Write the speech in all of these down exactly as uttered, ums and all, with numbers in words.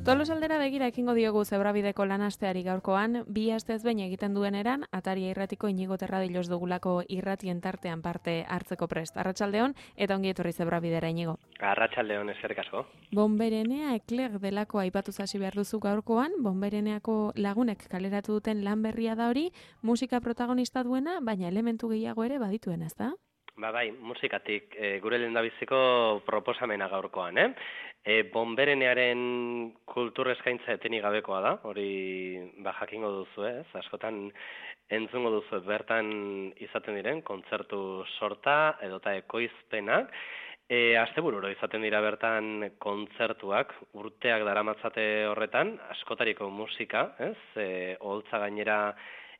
Tolosaldera begira ekingo diogu Zebrabideko lanasteari gaurkoan, bi astez behin egiten duen eran, Ataria irratiko Inigo Terradilos dugulako irratien tartean parte hartzeko prest. Arratsaldeon eta ongi etorri Zebrabidera, Inigo. Arratsaldeon, eskerrik asko. Bonberenea Ekler delako aipatu hasi behar duzu gaurkoan, Bonbereneako lagunek kaleratu duten lan berria da hori, musika protagonista duena, baina elementu gehiago ere badituena, ezta? Ba bai, musikatik e, gure lehendabiziko proposamena gaurkoan, eh? E, Bonberenearen kultur eskaintza etenik gabekoa da, hori ba jakingo duzu, ez? Askotan entzungo duzu bertan izaten diren kontzertu sorta edota ekoizpenak. E, astebururo izaten dira bertan kontzertuak, urteak daramatzate horretan, askotariko musika, ez? E, oholtza gainera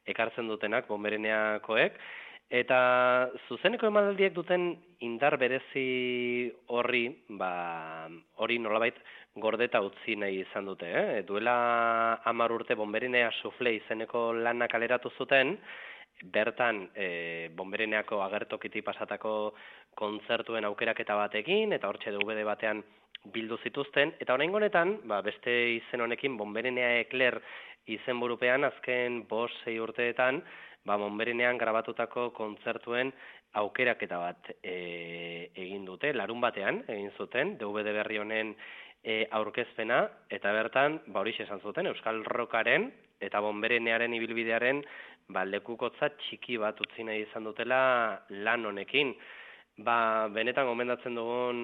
ekartzen dutenak Bonbereneakoek. Eta zuzeneko emanaldiek duten indar berezi horri, ba, hori nolabait gordeta utzi nahi izan dute. Eh? Duela hamar urte Bonberenea Sufle izeneko lana kaleratu zuten, bertan e, Bonbereneako agertokiti pasatako kontzertuen aukeraketa batekin, eta hortxe D V D batean bildu zituzten, eta oraingo honetan, ba, beste izen honekin Bonberenea Ekler izenburupean azken bost sei urteetan, ba, Bonberenean grabatutako kontzertuen aukeraketa bat e, egin dute, larun batean egin zuten, D V D berri honen e, aurkezpena, eta bertan, ba, horixe esan zuten, Euskal Rockaren eta Bonberenearen ibilbidearen ba, lekukotza txiki bat utzi nahi izan dutela lan honekin. Ba, benetan gomendatzen dugun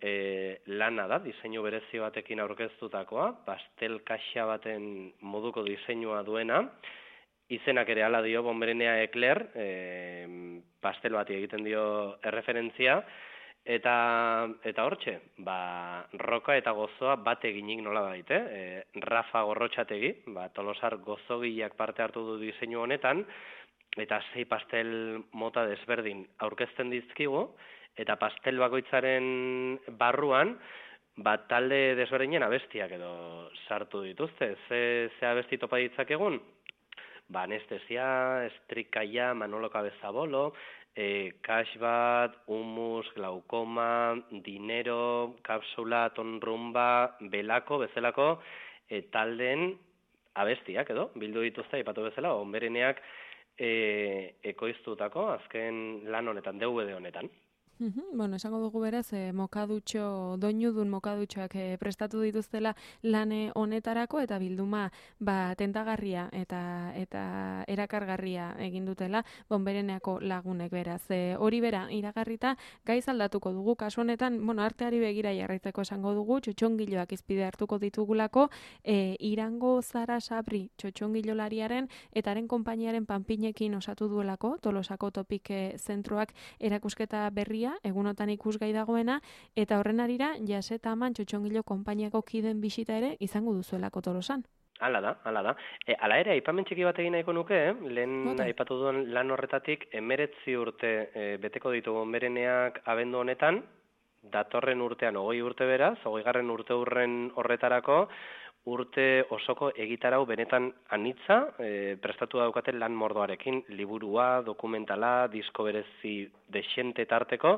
e, lana da, diseinu berezi batekin aurkeztutakoa, pastel kaxa baten moduko diseinua duena, izenak ere hala dio Bonberenea Ekler, e, pastel bati egiten dio erreferentzia, eta eta hortxe, ba, roka eta gozoa bat eginik nola baite, e, Rafa Gorrotxategi, ba, Tolosar gozogileak parte hartu du diseinu honetan, eta sei pastel mota desberdin aurkezten dizkigu, eta pastel bakoitzaren barruan, ba, talde desberdinen abestiak edo sartu dituzte. Ze, ze abesti topa ditzakegun? Ba, anestesia, estrikaia, Manolo Cabezabolo, e, Cashbat, Humus, Glaukoma, Dinero, Kapsula, Tonrumba, Belako, bezalako, e, taldeen abestiak edo, bildu dituzte, aipatu bezala, Bonbereneak e, ekoiztutako, azken lan honetan, D V D honetan. Uhum, bueno, esango dugu beraz, eh, mokadutxo, doinudun mokadutxoak eh, prestatu dituztela lane honetarako eta bilduma ba, tentagarria eta eta erakargarria egin dutela Bonbereneako lagunek beraz. E, hori bera, iragarrita gaiz aldatuko dugu, kasu honetan, bueno, arteari begira jarraitzeko esango dugu, txotxongiloak izpide hartuko ditugulako, e, Irango Zara Sabri txotxongilolariaren eta haren konpainiaren panpinekin osatu duelako, Tolosako Topik zentroak erakusketa berria, egunotan ikusgai dagoena, eta horren arira, Jaseta Aman txotxongilo konpainiako kiden bisita ere izango duzuelako Tolosan. Hala da, hala da. E, hala ere, aipamen txiki bat egin nahiko nuke, eh? lehen Bota. aipatu duen lan horretatik, emeretzi urte e, beteko ditu Bonbereneak abendu honetan, datorren urtean, hogei urte beraz, hogeigarren urte hurren horretarako, urte osoko egitarau benetan anitza, e, prestatu daukaten lan mordoarekin, liburua, dokumentala, disko berezi desente tarteko,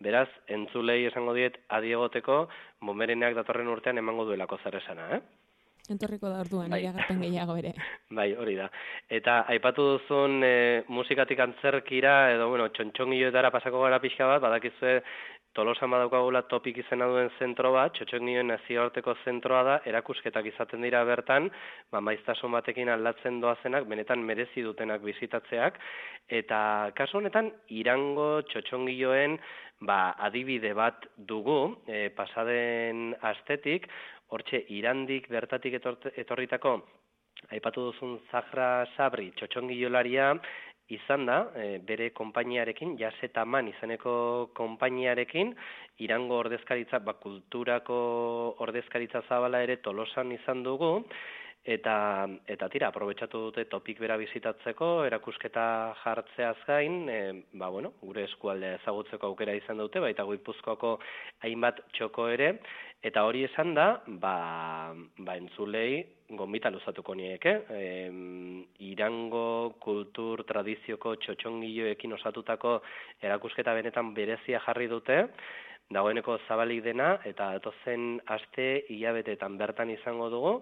beraz, entzulei esango diet adiegoteko, Bonbereneak datorren urtean emango duelako zer esana, eh? Entorriko da orduan, bai. iragarpen gehiago ere. Bai, hori da. Eta aipatu duzun e, musikatik antzerkira, edo, bueno, txontxongiloetara pasako gara pixka bat, badakizue Tolosan badaukagula Topik izena duen zentro bat, txotxongioen nazioarteko zentroa da, erakusketak izaten dira bertan, ba, maiztasun batekin aldatzen doazenak, benetan merezi dutenak bizitatzeak, eta kasu honetan, Irango txotxongioen ba, adibide bat dugu, e, pasaden astetik, hortxe Irandik bertatik etorte, etorritako, aipatu duzun Zahra Sabri txotxongilolaria, izan da, e, bere konpainiarekin, Jaseta Aman izeneko konpainiarekin, Irango ordezkaritza, ba, kulturako ordezkaritza zabala ere Tolosan izan dugu, eta eta tira, aprobetxatu dute Topik bera bizitatzeko, erakusketa jartzeaz gain, e, ba, bueno, gure eskualdea ezagutzeko aukera izan dute, baita Guipuzkoako hainbat txoko ere, eta hori esan da, ba, ba entzulei, gonbita luzatuko nieke, e, Irango kultur tradizioko txotxongiloekin osatutako erakusketa benetan berezia jarri dute, dagoeneko zabalik dena, eta datozen aste hilabeteetan bertan izango dugu,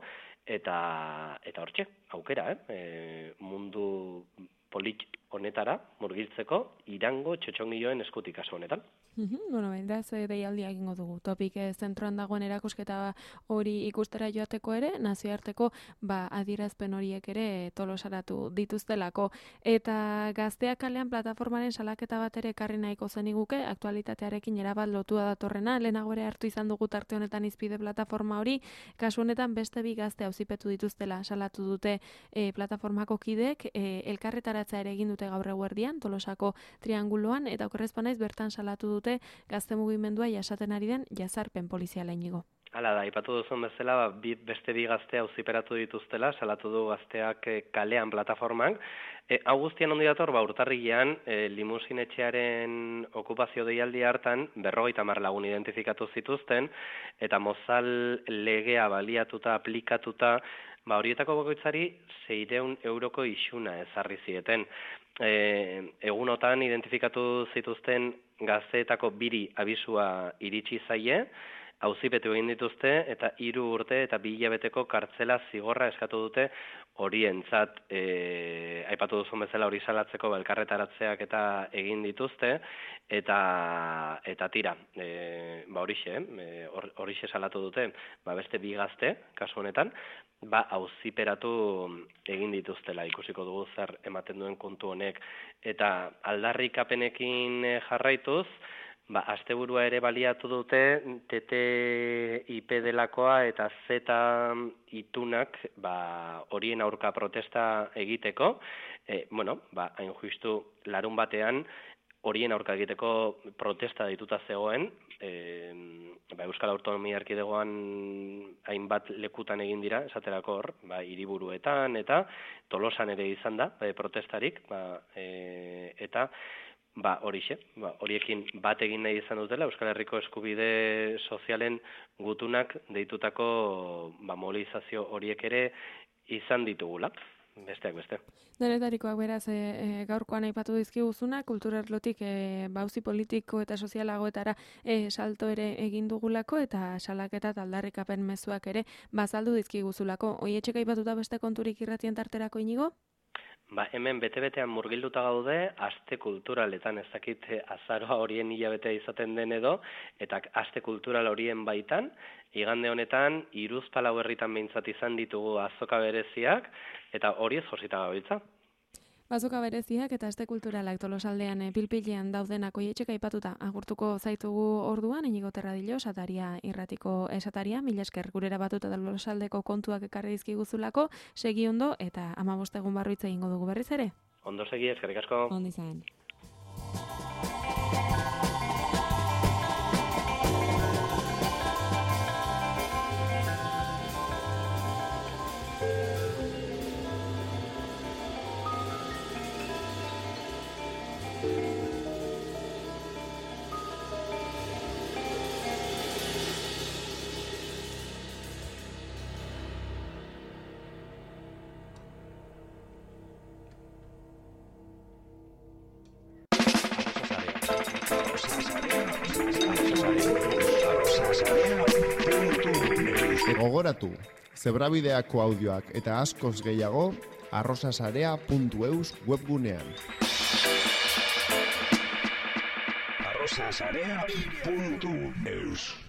eta eta hortxe, aukera, eh? E, mundu polit honetara murgiltzeko Irango txotxongiloen eskutik kasu honetan. Mm-hmm. Bueno, beraz, deialdia egingo dugu. Topik zentroan dagoen erakusketa hori ikustera joateko ere, nazioarteko ba, adierazpen horiek ere tolosaratu dituztelako. Eta Gazteak kalean plataformaren salaketa bat ere ekarri nahiko zeniguke, aktualitatearekin erabat lotua datorrena, lehenago ere hartu izan dugu tarte honetan izpide plataforma hori, kasu honetan beste bi gazte auzipetu dituztela salatu dute e, plataformako kidek, e, elkarretaratza ere egin dute gaur eguerdian, Tolosako trianguloan, eta okerrezpanaiz bertan salatu dute gazte mugimendua jasaten ari den jazarpen poliziala inigo. Hala da, aipatu duzun bezala, ba, bi, beste bi gazte auziperatu dituztela, salatu du gazteak e, kalean plataformak. E, hau guztian ondi dator, ba, urtarrilean, e, limusinetxearen okupazio deialdi hartan, berrogeita hamar lagun identifikatu zituzten, eta mozal legea baliatuta, aplikatuta, ba, horietako bakoitzari seiehun euroko isuna ezarri zieten. E, egunotan identifikatu zituzten gazteetako biri abisua iritsi zaie, auzipetu egin dituzte eta hiru urte eta bi hilabeteko kartzela zigorra eskatu dute horientzat. E, aipatu duzun bezala hori salatzeko elkarretaratzeak eta egin dituzte eta eta tira, e, ba horixe, e, horixe salatu dute, ba beste bi gazte kasu honetan, ba auziperatu egin dituztela, ikusiko dugu zer ematen duen kontu honek, eta aldarrikapenekin jarraituz, ba asteburua ere baliatu dute T T I P delakoa eta Z itunak ba horien aurka protesta egiteko, e, bueno, ba hain justu larun batean horien aurka egiteko protesta dituta zegoen, e, ba, Euskal Autonomia Erkidegoan hainbat lekutan egin dira, esaterako hor, ba, hiriburuetan eta Tolosan ere izan da, ba, protestarik, ba, e, eta ba, horixe, ba, horiekin bat egin nahi izan dutela, Euskal Herriko eskubide sozialen gutunak deitutako ba, mobilizazio horiek ere izan ditugula. Besteak beste. Denetarikoak beraz, e, e, gaurkoan aipatu dizkiguzuna, kulturarlotik e, bauzi politiko eta sozialagoetara e, salto ere egin dugulako eta salaketa aldarrikapen mezuak ere bazaldu dizkiguzulako. Oietxek aipatuta beste konturik irratien tarterako inigo? Ba, hemen bete-betean murgilduta gaude, aste kulturaletan, ez dakit azaroa horien hilabetea izaten den edo, eta aste kultural horien baitan, igande honetan, Hiruzpalau herritan behintzat izan ditugu azoka bereziak, eta hori ez josita gabiltza. Azoka bereziak eta aste kulturalak Tolosaldean e, pilpilean daudenak oietxek aipatuta agurtuko zaitugu orduan, Inigo Terradillo, Sataria irratiko esataria, mila esker gurera batuta Tolosaldeko kontuak ekarri dizkiguzulako, segi ondo eta hamabost egun barru hitz egingo dugu berriz ere. Ondo segi, eskerrik asko. Ondo izan. Gogoratu, zebrabideako audioak eta askoz gehiago arrosasarea puntu eus webgunean. arrosasarea puntu eus